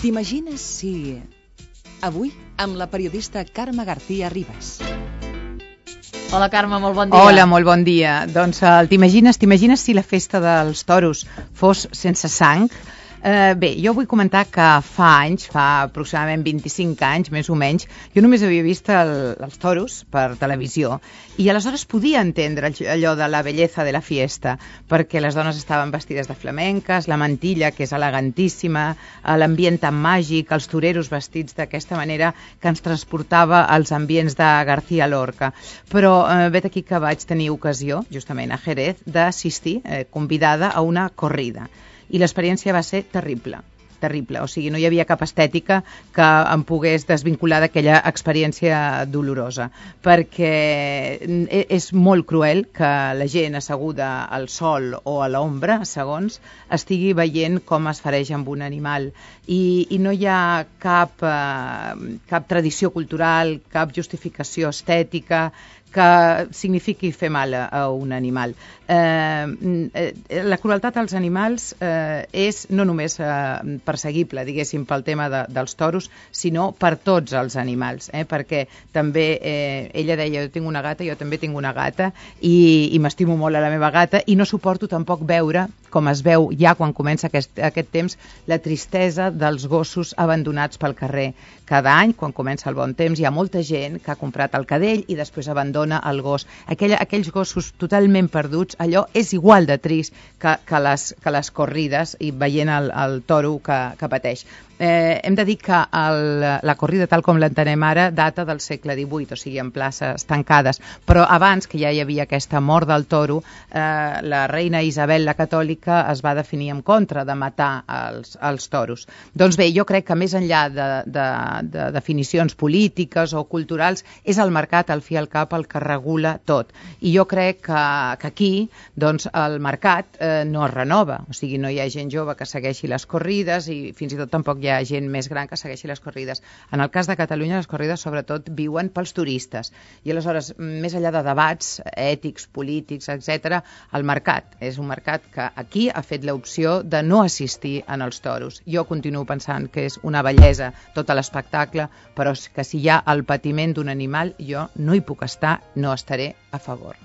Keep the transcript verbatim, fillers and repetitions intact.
T'imagines si... Avui, amb la periodista Carme García Ribas. Hola, Carme, molt bon dia. Hola, molt bon dia. Doncs uh, t'imagines t'imagines si la festa dels toros fos sense sang? Uh, bé, jo vull comentar que fa anys, fa aproximadament vint-i-cinc anys, més o menys, jo només havia vist el, els toros per televisió i aleshores podia entendre allò de la bellesa de la fiesta, perquè les dones estaven vestides de flamenques, la mantilla, que és elegantíssima, l'ambient tan màgic, els toreros vestits d'aquesta manera que ens transportava als ambients de García Lorca. Però eh, vet aquí que vaig tenir ocasió, justament a Jerez, d'assistir, eh, convidada a una corrida. I l'experiència va ser terrible, terrible. O sigui, no hi havia cap estètica que em pogués desvincular d'aquella experiència dolorosa, perquè és molt cruel que la gent asseguda al sol o a l'ombra, segons, estigui veient com es fereix amb un animal. I, i no hi ha cap, eh, cap tradició cultural, cap justificació estètica que signifiqui fer mal a un animal. Eh, la crueltat als animals eh, és no només eh, perseguible, diguéssim, pel tema de, dels toros, sinó per tots els animals, eh? Perquè també eh, ella deia, jo tinc una gata, jo també tinc una gata, i, i m'estimo molt a la meva gata, i no suporto tampoc veure, com es veu ja quan comença aquest, aquest temps, la tristesa dels gossos abandonats pel carrer. Cada any, quan comença el bon temps, hi ha molta gent que ha comprat el cadell i després abandona el gos. Aquella, aquells gossos totalment perduts, allò és igual de trist que, que, les, que les corrides i veient el, el toro que, que pateix. Eh, hem de dir que el, la corrida, tal com l'entenem ara, data del segle divuit, o sigui, en places tancades. Però abans, que ja hi havia aquesta mort del toro, eh, la reina Isabel la Catòlica es va definir en contra de matar els, els toros. Doncs bé, jo crec que més enllà de, de, de definicions polítiques o culturals, és el mercat, al fi i al cap, el que regula tot. I jo crec que, que aquí doncs, el mercat eh, no es renova. O sigui, no hi ha gent jove que segueixi les corrides i fins i tot tampoc hi ha gent més gran que segueixi les corrides. En el cas de Catalunya, les corrides sobretot viuen pels turistes. I aleshores, més enllà de debats ètics, polítics, etcètera, el mercat és un mercat que aquí ha fet l'opció de no assistir en els toros. Jo continuo pensant que és una bellesa tot l'espectacle, però que si hi ha el patiment d'un animal, jo no hi puc estar, no estaré a favor.